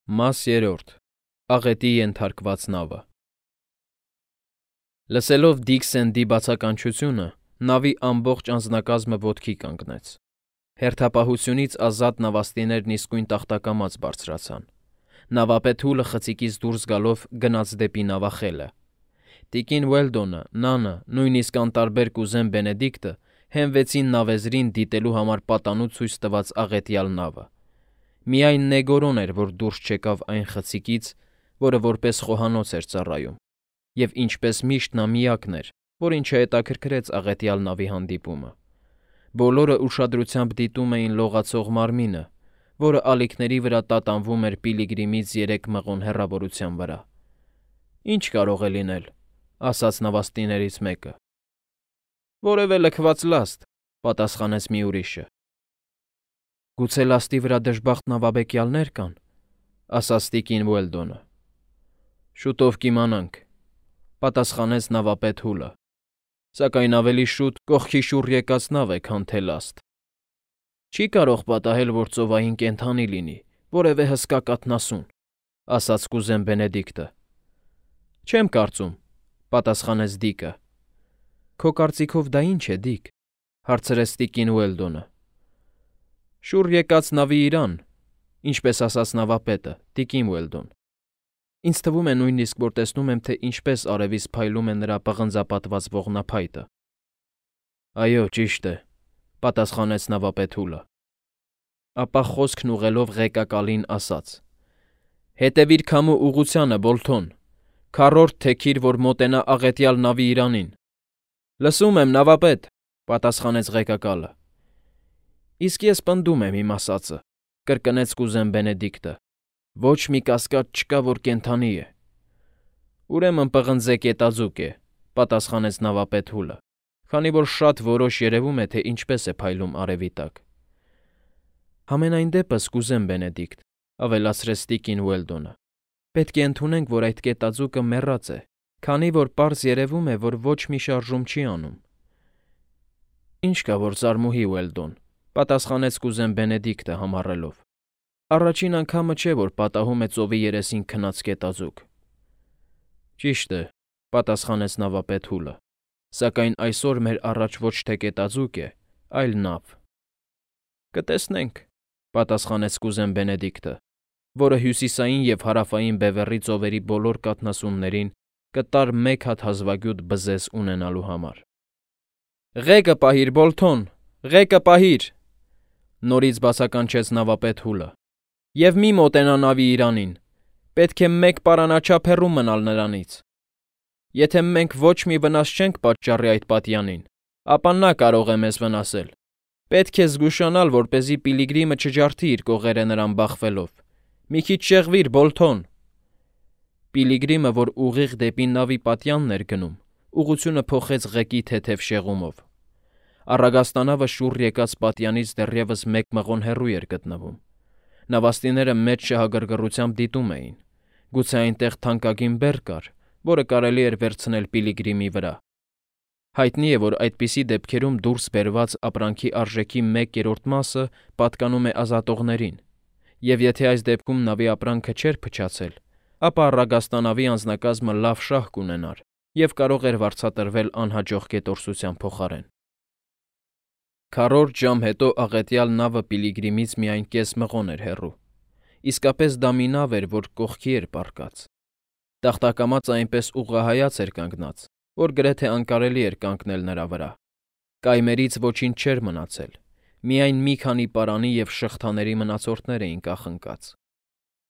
Մաս 3. Աղետի ենթարկված նավը։ Լսելով Դիքսենդի բացականչությունը, նավի ամբողջ անձնակազմը ոտքի կանգնեց։ Հերթապահությունից ազատ նավաստիներն իսկույն տախտակամած բարձրացան։ Նավապետ Հուլը խցիկից դուրս գալով գնաց դեպի նավախելը։ Տիկին Ուելդոնը, Նանը, նույնիսկ անտարբեր կուզեն Բենեդիկտը հենվեցին նավեզրին դիտելու համար պատանու ցույց տված աղետյալ նավը։ Միայն Նեգորոն էր, որ դուրս չեկավ այն խցիկից, որը որպես խոհանոց էր ծառայում, և ինչպես միշտ նա միակն էր, որին չհետաքրքրեց աղետյալ նավի հանդիպումը։ Բոլորը ուշադրությամբ դիտում էին լողացող մարմինը, որը ալիքների վրա տատանվում էր Պիլիգրիմից 3 մղոն հեռավորության վրա։ «Ինչ կարող է լինել», ասաց նավաստիներից մեկը։ «Որևէ լքված լաստ», պատասխանեց մի ուրիշը։ «Գուցե լաստի վրա դժբախտ նավաբեկյալներ կան», ասաց տիկին Ուելդոնը։ «Շուտով կիմանանք», պատասխանեց նավապետ Հուլը, «սակայն ավելի շուտ կողքի շուռ եկած նավ է, քան թե լաստ։ Չի կարող պատահել, որ ծովային կենդանի լինի, որևէ հսկա կաթնասուն», ասաց կուզեն Բենեդիկտը։ «Չեմ կարծում», պատասխանեց Դիկը։ «Քո կարծիքով դա ինչ է, Դիկ», հարցրեց տիկին Ուելդոնը։ «Շուռ եկած նավի իրան, ինչպես ասաց նավապետը, տիկին Ուելդոն։ Ինձ թվում է նույնիսկ, որ տեսնում եմ, թե ինչպես արևից փայլում է նրա պղնձապատված ողնափայտը»։ «Այո, ճիշտ է», պատասխանեց նավապետ Հուլը։ Ապա խոսքն ուղղելով ղեկակալին ասաց. «Հետևիր քամու ուղղությանը, Բոլթոն, քառորդ թեքիր, որ մոտենա աղետյալ նավի իրանին»։ «Լսում եմ, նավապետ», պատասխանեց ղեկակալը։ «Իսկ ես պնդում եմ իմ ասածը», կրկնեց կուզեն Բենեդիկտը։ «Ոչ մի կասկած չկա, որ կենդանի է»։ «Ուրեմն պղնձե կետաձուկ է», պատասխանեց նավապետ Հուլը, քանի որ շատ որոշ երևում է, թե ինչպես է փայլում արևի տակ։ «Համենայն դեպս, կուզեն Բենեդիկտ», ավելացրեց տիկին Ուելդոնը, «պետք է ընդունենք, որ այդ կետաձուկը մեռած է, քանի որ պարզ երևում է, որ ոչ մի շարժում չի անում»։ «Ինչ կա, որ ծարմուհի, Ուելդոն», պատասխանեց կուզեն Բենեդիկտը համառելով։ «Առաջին անգամը չէ, որ պատահում է ծովի երեսին քնած կետաձուկ»։ «Ճիշտ է», պատասխանեց նավապետ Հուլը, «սակայն այսօր մեր առաջ ոչ թե կետաձուկ է, այլ նավ»։ «Կտեսնենք», պատասխանեց կուզեն Բենեդիկտը, որը հյուսիսային և հարավային բևեռի ծովերի բոլոր կաթնասուններին կտար մեկ հատ հազվագյուտ բզեզ ունենալու համար։ «Ղեկը պահիր, Բոլթոն, ղեկը պահիր», նորից բացականչեց նավապետ Հուլը, «և մի մոտենա նավի իրանին, պետք է 1 պարանաչափ հեռու մնալ նրանից։ Եթե մենք ոչ մի վնաս չենք պատճառի այդ պատյանին, ապա նա կարող է մեզ վնասել։ Պետք է զգուշանալ, որպեսզի Պիլիգրիմը չջարդի իր կողերը նրան բախվելով։ Մի քիչ շեղվիր, Բոլթոն»։ Պիլիգրիմը, որ ուղիղ դեպի նավի պատյանն էր գնում, ուղղությունը փոխեց ղեկի թեթև շեղումով։ Առագաստանավը շուռ եկած պատյանից դեռևս 1 մղոն հեռու էր գտնվում։ Նավաստիները մեծ շահագրգռությամբ դիտում էին։ Գուցե այնտեղ թանկագին բեռ կար, որը կարելի էր վերցնել Պիլիգրիմի վրա։ Հայտնի է, որ այդպիսի դեպքերում դուրս բերված ապրանքի արժեքի 1/3 մասը պատկանում է ազատողներին, և եթե այս դեպքում նավի ապրանքը չէր փչացել, ապա առագաստանավի անձնակազմը լավ շահ կունենար և կարող էր վարձատրվել անհաջող գետորսության փոխարեն։ Քառորդ ժամ հետո աղետյալ նավը Պիլիգրիմից միայն կես մղոն էր հեռու։ Իսկապես դա մի նավ էր, որ կողքի էր պառկած։ Տախտակամած այնպես ուղղահայաց էր կանգնած, որ գրեթե անկարելի էր կանգնել նրա վրա։ Կայմերից ոչինչ չէր մնացել, միայն մի քանի պարանի և շղթաների մնացորդներ էին կախնկած։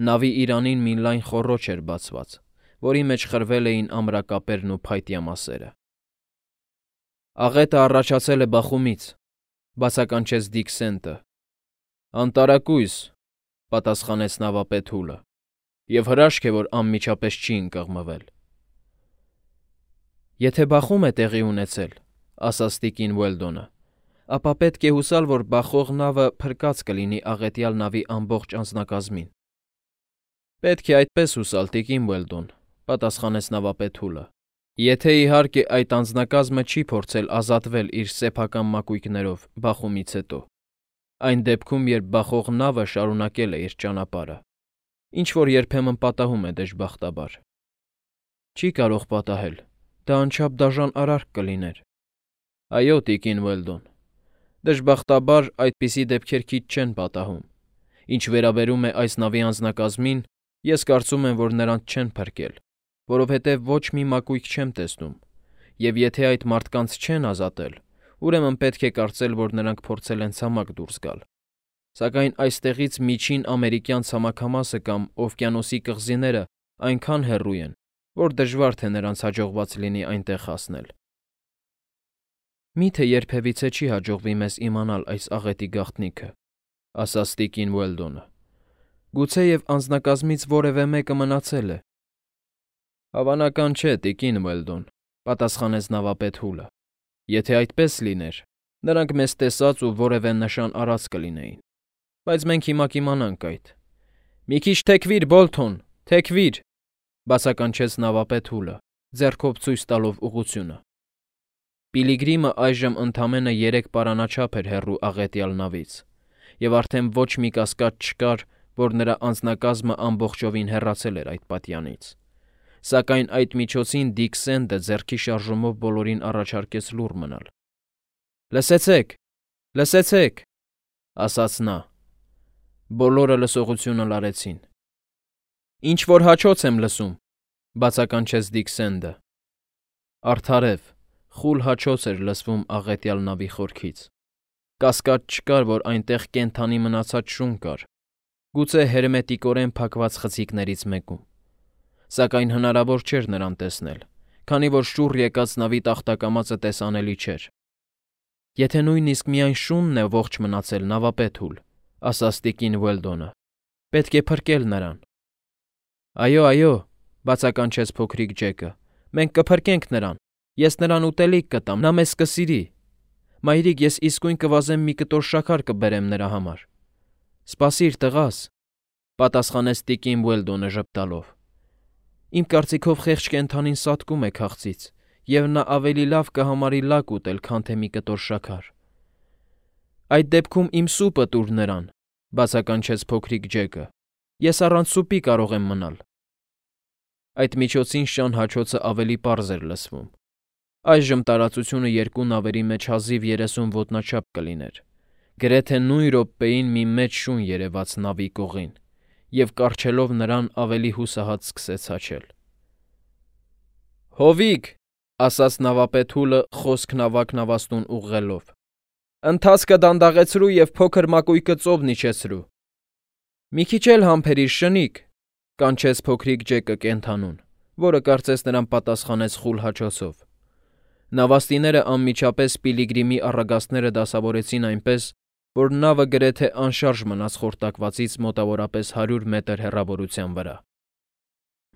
Նավի իրանին մի լայն խոռոչ էր բացված, որի մեջ խրվել էին ամրակապերն ու փայտյա մասերը։ «Աղետը առաջացել է բախումից», բացականչեց Դիքսենտը։ «Անտարակույս», պատասխանեց նավապետ Հուլը, «և հրաշք է, որ անմիջապես չի ընկղմվել»։ «Եթե բախում է տեղի ունեցել», ասաց տիկին Ուելդոնը, «ապա պետք է հուսալ, որ բախող նավը փրկած կլինի աղետյալ նավի ամբողջ անձնակազմին»։ «Պետք է այդպես հուսալ, տիկին Ուելդոն», պատասխանեց նավապետ Հուլը, «եթե իհարկե այդ անձնակազմը չի փորձել ազատվել իր սեփական մակույկներով բախումից հետո, այն դեպքում, երբ բախող նավը շարունակել է իր ճանապարհը։ ինչ որ երբեմն պատահում է դժբախտաբար։ Չի կարող պատահել, դա անչափ դաժան արարք կլիներ։ Այո, տիկին Ուելդոն, դժբախտաբար այդպիսի դեպքեր քիչ չեն պատահում։ Ինչ վերաբերում է այս նավի անձնակազմին, ես կարծում եմ, որ նրանց չեն փրկել, որովհետև ոչ մի մակույկ չեմ տեսնում, եւ եթե այդ մարդկանց չեն ազատել, ուրեմն պետք է կարծել, որ նրանք փորձել են ցամաք դուրս գալ։ Սակայն այստեղից միջին ամերիկյան ցամաքամասը կամ օվկիանոսի կղզիները այնքան հեռու են, որ դժվար թե նրանց հաջողված լինի այնտեղ հասնել։ Միթե երբևիցե չի հաջողվի մեզ իմանալ այս աղետի գաղտնիքը, ասաց տիկին Ուելդոնը։ Գուցեև անձնակազմից որևէ մեկը մնացել է։ Հավանական չէ, տիկին Ուելդոն, պատասխանեց նավապետ Հուլը։ Եթե այդպես լիներ, նրանք մեզ տեսած ու որևէ նշան առած կլինեին։ Բայց մենք հիմա կիմանանք այդ։ Մի քիչ թեքվիր, Բոլթոն, թեքվիր, բացականչեց նավապետ Հուլը, ձեռքով ցույց տալով ուղղությունը։ Պիլիգրիմը այժմ ընդամենը 3 պարանաչափ էր հեռու աղետյալ նավից, եւ արդեն ոչ մի կասկած չկար, որ նրա անձնակազմը ամբողջովին հեռացել էր այդ պատյանից։ Սակայն այդ միջոցին Դիկ Սենդը ձեռքի շարժումով բոլորին առաջարկեց լուռ մնալ։ Լսեցեք, լսեցեք, ասաց նա։ Բոլորը լսողությունը լարեցին։ Ինչ որ հաչոց եմ լսում, բացականչեց Դիկ Սենդը։ Արդարև, խուլ հաչոց էր լսվում աղետյալ նավի խորքից։ Կասկած չկար, որ այնտեղ կենդանի մնացած շուն կար, գուցե հերմետիկորեն փակված խցիկներից մեկում։ Սակայն հնարավոր չէր նրան տեսնել, քանի որ շուռ եկած նավի տախտակամածը տեսանելի չէր։ Եթե նույնիսկ միայն շունն է ողջ մնացել, նավապետ Հուլ, ասաց տիկին Ուելդոնը, պետք է փրկել նրան։ Այո, բացականչեց փոքրիկ Ջեկը, մենք կփրկենք նրան, ես նրան ուտելիք կտամ, նա մեզ կսիրի։ Մայրիկ, ես իսկույն կվազեմ մի կտոր շաքար կբերեմ նրա համար։ Սպասիր, տղաս, պատասխանեց տիկին Ուելդոնը ժպտալով։ Իմ կարծիքով խեղճ կենդանին սատկում է քաղցից, եւ նա ավելի լավ կհամարի լակ ուտել, քան թե մի կտոր շաքար։ Այդ դեպքում իմ սուպը տուր նրան, բացականչեց փոքրիկ Ջեկը։ Ես առանց սուպի կարող եմ մնալ։ Այդ միջոցին շան հաչոցը ավելի պարզ էր լսվում։ Այժմ տարածությունը երկու նավերի մեջ հազիվ 30 ոտնաչափ կլիներ։ Գրեթե նույն րոպեին մի մեծ շուն երևաց նավի կողին, եւ կառչելով նրան ավելի հուսահատ սկսեց հաչել։ Հովիկ, ասաց նավապետ Հուլը խոսքն ավագ նավաստուն ուղղելով։ Ընթացքը դանդաղեցրու եւ փոքր մակույկը ծով իջեցրու։ Մի քիչ էլ համբերիր, շնիկ, կանչեց փոքրիկ Ջեկը կենդանուն, որը կարծես նրան պատասխանեց խուլ հաչոցով։ Նավաստիները անմիջապես Պիլիգրիմի առագաստները դասավորեցին այնպես, որ նավը գրեթե անշարժ մնաց խորտակվածից մոտավորապես 100 մետր հեռավորության վրա։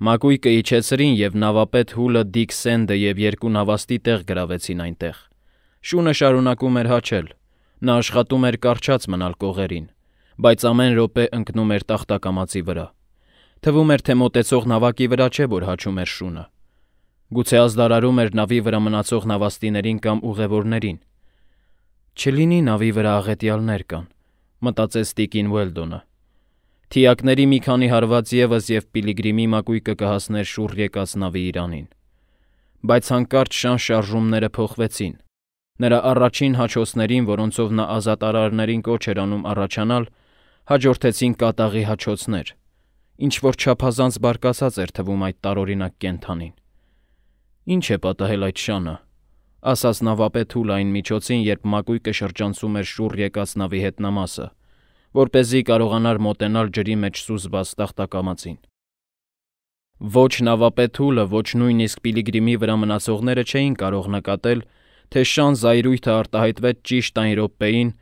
Մակույկը իջեցրին եւ նավապետ Հուլը, Դիկ Սենդը եւ երկու նավաստի տեղ գրավեցին այնտեղ։ Շունը շարունակում էր հաչել։ Նա աշխատում էր կառչած մնալ կողերին, բայց ամեն րոպե ընկնում էր տախտակամածի վրա։ Թվում էր, թե մոտեցող նավակի վրա չէ, որ հաչում էր շունը։ Գուցե ազդարարում էր նավի վրա մնացող նավաստիներին կամ ուղևորներին։ Չլինի նավի վրա աղետյալներ կան, մտածեց տիկին Ուելդոնը։ Թիակների մի քանի հարված եւս եւ Պիլիգրիմի մակույկը կհասներ շուռ եկած նավի իրանին։ Բայց հանկարծ շան շարժումները փոխվեցին։ Նրա առաջին հաչոցներին, որոնցով նա ազատարարներին կոչ էր անում առաջանալ, հաջորդեցին կատաղի հաչոցներ, ինչ որ չափազանց բարկացած էր թվում այդ տարօրինակ կենդանին։ Ինչ է պատահել այդ շանը, ասաց նավապետ Հուլը այն միջոցին, երբ մակույկը շրջանցում էր շուռ եկած նավի հետնամասը, որպեսզի կարողանար մոտենալ ջրի մեջ սուզված տախտակամածին։ Ոչ նավապետ Հուլը, ոչ նույնիսկ Պիլիգրիմի վրա մնացողները չէին կարող նկատել, թե շան զայրույթը արտահայտվեց ճիշտ այն րոպեին,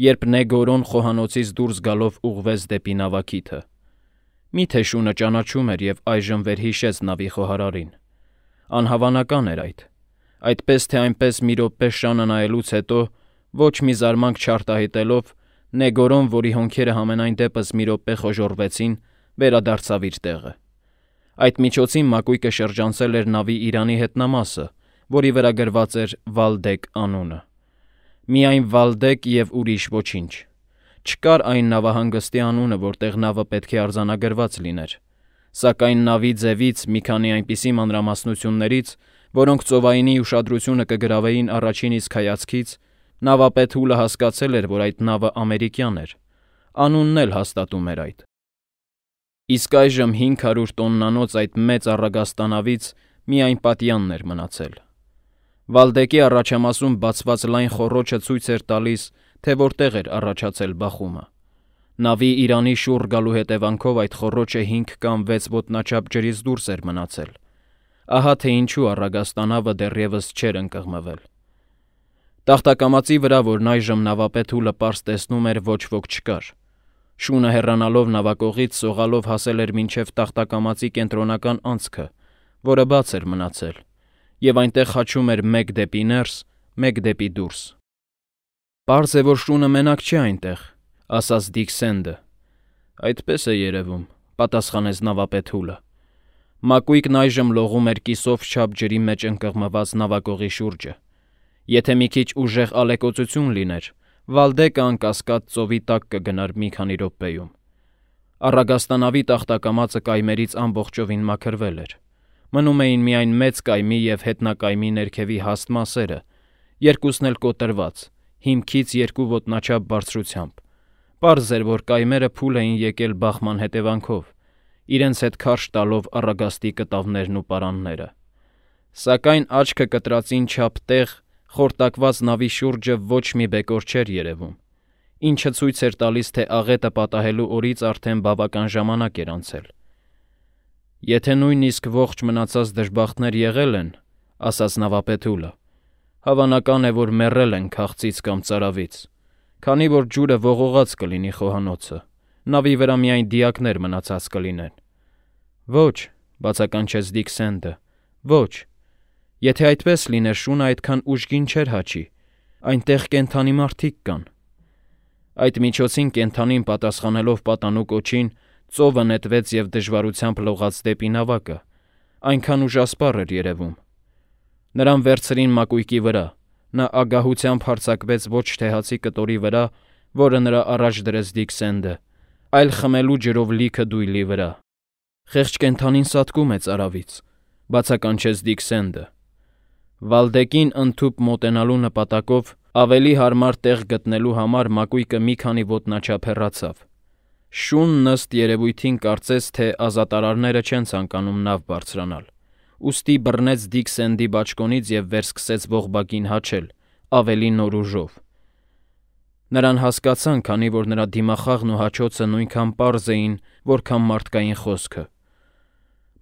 երբ Նեգորոն խոհանոցից դուրս գալով ուղղվեց դեպի նավակիթը։ Միթե շունը ճանաչում էր եւ այժմ վերհիշեց նավի խոհարարին։ Անհավանական էր այդ։ Այդպես թե այնպես մի րոպե շանը նայելուց հետո, ոչ մի զարմանք չարտահայտելով, Նեգորոն, որի հոնքերը համենայն դեպս մի րոպե խոժոռվեցին, վերադարձավ իր տեղը։ Այդ միջոցին մակույկը շրջանցել էր նավի իրանի հետնամասը, որի վրա գրված էր Վալդեկ անունը։ Միայն Վալդեկ եւ ուրիշ ոչինչ։ Չկար այն նավահանգստի անունը, որտեղ նավը պետք է արձանագրված լիներ, սակայն նավի ձևից մի քանի այնպիսի մանրամասնություններից, որոնք ծովայինի ուշադրությունը կգրավեին առաջին իսկ հայացքից, նավապետ Հուլը հասկացել էր, որ այդ նավը ամերիկյան էր, անունն էլ հաստատում էր այդ։ Իսկ այժմ 500 տոննանոց այդ մեծ առագաստանավից միայն պատյանն էր մնացել։ Վալդեկի առաջամասում բացված լայն խոռոչը ցույց էր տալիս, թե որտեղ էր առաջացել բախումը։ Նավի իրանի շուռ գալու հետևանքով այդ խոռոչը 5 կամ 6 ոտնաչափ ջրից դուրս էր մնացել։ Ահա թե ինչու առագաստանավը դեռևս չէր ընկղմվել։ Տախտակամածի վրա, որն այժմ նավապետ Հուլը պարզ տեսնում էր, ոչ ոք չկար։ Շունը հեռանալով նավակողից սողալով հասել էր մինչև տախտակամածի կենտրոնական անցքը, որը բաց էր մնացել, եւ այնտեղ խաչում էր մեկ դեպի ներս, մեկ դեպի դուրս։ Պարզ է, որ շունը մենակ չէ այնտեղ, ասաց Դիկ Սենդը։ Այդպես է երևում, պատասխանեց նավապետ Հուլը։ Մակույկն այժմ լողում էր կիսով չափ ջրի մեջ ընկղմված նավակողի շուրջը։ Եթե մի քիչ ուժեղ ալեկոծություն լիներ, Վալդեկը անկասկած ծովի տակ կգնար մի քանի րոպեում։ Առագաստանավի տախտակամածը կայմերից ամբողջովին մաքրվել էր։ Մնում էին միայն մեծ կայմի և հետնակայմի ներքևի հաստ մասերը, երկուսն էլ կոտրված, հիմքից 2 ոտնաչափ բարձրությամբ։ Պարզ էր, որ կայմերը փուլ էին եկել բախման հետևանքով, իրենց հետ քարշ տալով առագաստի կտավներն ու պարանները։ Սակայն աչքը կտրածին չափ տեղ խորտակված նավի շուրջը ոչ մի բեկոր չէր երևում, ինչը ցույց էր տալիս, թե աղետը պատահելու օրից արդեն բավական ժամանակ էր անցել։ Եթե նույնիսկ ողջ մնացած դժբախտներ եղել են, ասաց նավապետ Հուլը, հավանական է, որ մեռել են քաղցից կամ ծարավից, քանի որ ջուրը ողողած կլինի խոհանոցը, նավի վրա միայն դիակներ մնացած կլինեն։ Ոչ, բացականչեց Դիկ Սենդը, ոչ։ Եթե այդպես լիներ, շունը այդքան ուժգին չէր հաչի, այնտեղ կենդանի մարդիկ կան։ Այդ միջոցին կենդանին պատասխանելով պատանու կոչին, ծովը նետվեց և դժվարությամբ լողաց դեպի նավակը, այնքան ուժասպառ էր երևում։ Նրան վերցրին մակույկի վրա, նա ագահությամբ հարձակվեց ոչ թե հացի կտորի վրա, որը նրա առաջ դրեց Դիկ Սենդը, այլ խմելու ջրով լիքը դույլի վրա։ Խեղճ կենդանին սատկում է ծարավից, բացականչեց Դիկ Սենդը։ Վալդեկին ընդհուպ մոտենալու նպատակով ավելի հարմար տեղ գտնելու համար մակույկը մի քանի ոտնաչափ հեռացավ։ Շունն ըստ երևույթին կարծեց, թե ազատարարները չեն ցանկանում նավ բարձրանալ, ուստի բռնեց Դիկ Սենդի բաճկոնից և վերսկսեց ողբակին հաչել, ավելի նոր ուժով։ Նրան հասկացան, քանի որ նրա դիմախաղն ու հաչոցը նույնքան պարզ էին, որքան մարդկային խոսքը։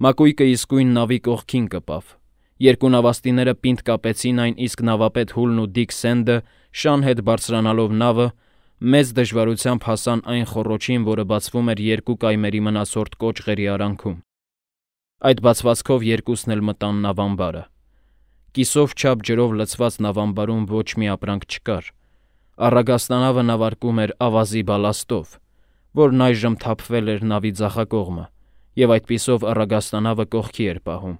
Մակույկը իսկույն նավի կողքին կպավ։ Երկու նավաստիները պինդ կապեցին այն, իսկ նավապետ Հուլն ու Դիկ Սենդը շան հետ բարձրանալով նավը, մեծ դժվարությամբ հասան այն խոռոչին, որը բացվում էր 2 կայմերի մնացորդ կոճղերի արանքում։ Այդ բացվածքով երկուսն էլ մտան նավամբարը։ Կիսով չափ ջրով լցված նավամբարում ոչ մի ապրանք չկար։ Առագաստանավը նավարկում էր ավազի բալաստով, որն այժմ թափվել էր նավի ձախակողմը, և այդպիսով առագաստանավը կողքի էր պահում։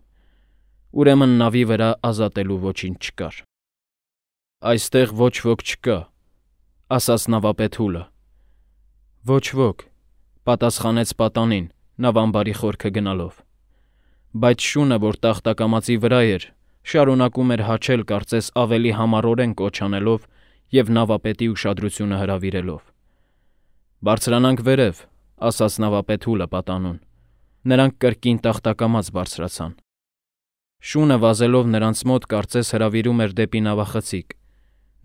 Ուրեմն նավի վրա ազատելու ոչինչ չկար։ Այստեղ ոչ ոք չկա, ասաց նավապետ Հուլը։ Ոչ ոք, պատասխանեց պատանին, նավամբարի խորքը գնալով։ Բայց շունը, որ տախտակամածի վրա էր, շարունակում էր հաչել կարծես ավելի համառորեն կոչ անելով և նավապետի ուշադրությունը հրավիրելով։ Բարձրանանք վերև, ասաց նավապետ Հուլը պատանուն։ Նրանք կրկին տախտակամած բարձրացան։ Շունը վազելով նրանց մոտ կարծես հրավիրում էր դեպի նավախցիկ։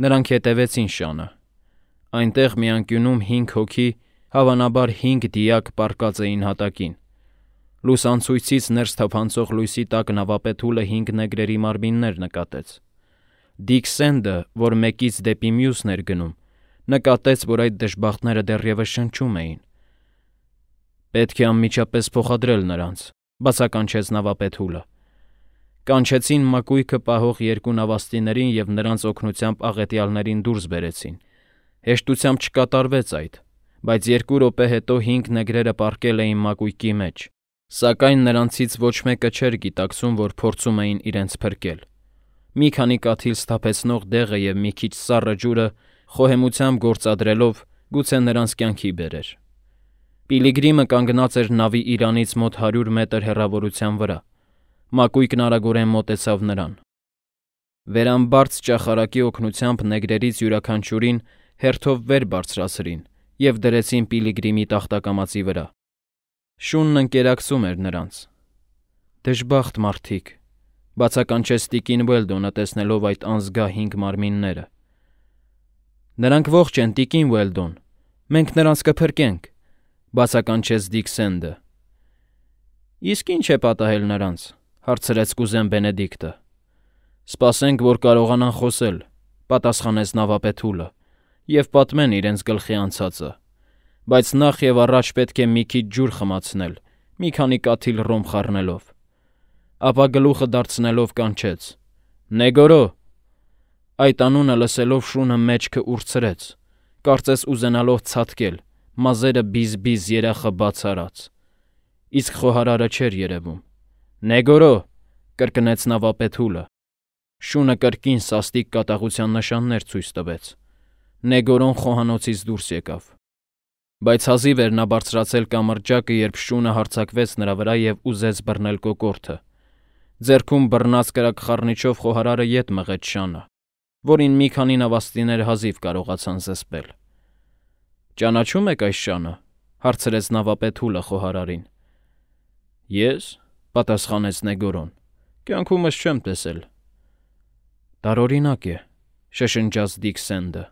Նրանք հետևեցին շանը։ Այնտեղ մի անկյունում 5 հոգի, հավանաբար 5 դիակ պառկած էին հատակին։ Լուսանցույցից ներս թափանցող լույսի տակ նավապետ Հուլը 5 նեգրերի մարմիններ նկատեց։ Դիկ Սենդը, որ մեկից դեպի մյուսն էր գնում, նկատեց, որ այդ դժբախտները դեռևս շնչում էին։ Պետք է անմիջապես փոխադրել նրանց, բացականչեց նավապետ Հուլը։ Կանչեցին մակույկը պահող 2 նավաստիներին և նրանց օգնությամբ աղետյալներին դուրս բերեցին։ Հեշտությամբ չկատարվեց այդ, բայց 2 րոպե հետո 5 նեգրերը պառկել էին մակույկի մեջ, սակայն նրանցից ոչ մեկը չէր գիտակցում, որ փորձում էին իրենց փրկել։ Մի քանի կաթիլ սթափեցնող դեղը և մի քիչ սառը ջուրը խոհեմությամբ գործադրելով գուցե նրանց կյանքի բերեր։ Պիլիգրիմը կանգնած էր նավի իրանից մոտ 100 մետր հեռավորության վրա, մակույկն արագորեն մոտեցավ նրան։ Վերամբարձ ճախարակի օգնությամբ նեգրերից յուրաքանչյուրին հերթով վեր բարձրացրին և դրեցին Պիլիգրիմի տախտակամածի վրա։ Շունն ընկերակցում էր նրանց։ «Դժբախտ մարդիկ», բացականչեց տիկին Ուելդոնը, տեսնելով այդ անզգա 5 մարմինները։ «Նրանք ողջ են, տիկին Ուելդոն, մենք նրանց կփրկենք», բացականչեց Դիկ Սենդը։ «Իսկ ի՞նչ է պատահել նրանց», հարցրեց կուզեն Բենեդիկտը։ «Սպասենք, որ կարողանան խոսել», պատասխանեց նավապետուլը, «և պատմեն իրենց գլխի անցածը, բայց նախ և առաջ պետք է մի քիչ ջուր խմացնել, մի քանի կաթիլ ռոմ խառնելով»։ Ապա գլուխը դարձնելով կանչեց. «Նեգորո»։ Այդ անունը լսելով շունը մեջքը ուրցրեց, կարծես ուզենալով ցատկել, մազերը բիզ-բիզ երախը բաց արած։ Իսկ խոհարարը չէր երևում։ «Նեգորո», կրկնեց նավապետուլը։ Շունը կրկին սաստիկ կատաղության նշաններ ցույց տվեց։ Նեգորոն խոհանոցից դուրս եկավ։ Բայց հազիվ էր նա բարձրացել կամրջակը, երբ շունը հարձակվեց նրա վրա և ուզեց բռնել կոկորդը։ Ձեռքում բռնած կրակ խառնիչով խոհարարը ետ մղեց շանը, որին մի քանի նավաստիներ հազիվ կարողացան զսպել։ «Ճանաչո՞ւմ եք այս շանը», հարցրեց նավապետուլը խոհարարին։ «Ես», պատասխանեց Նեգորոն, «կյանքումս չեմ տեսել»։ «Տարօրինակ է», շշնջաց Դիկ Սենդը։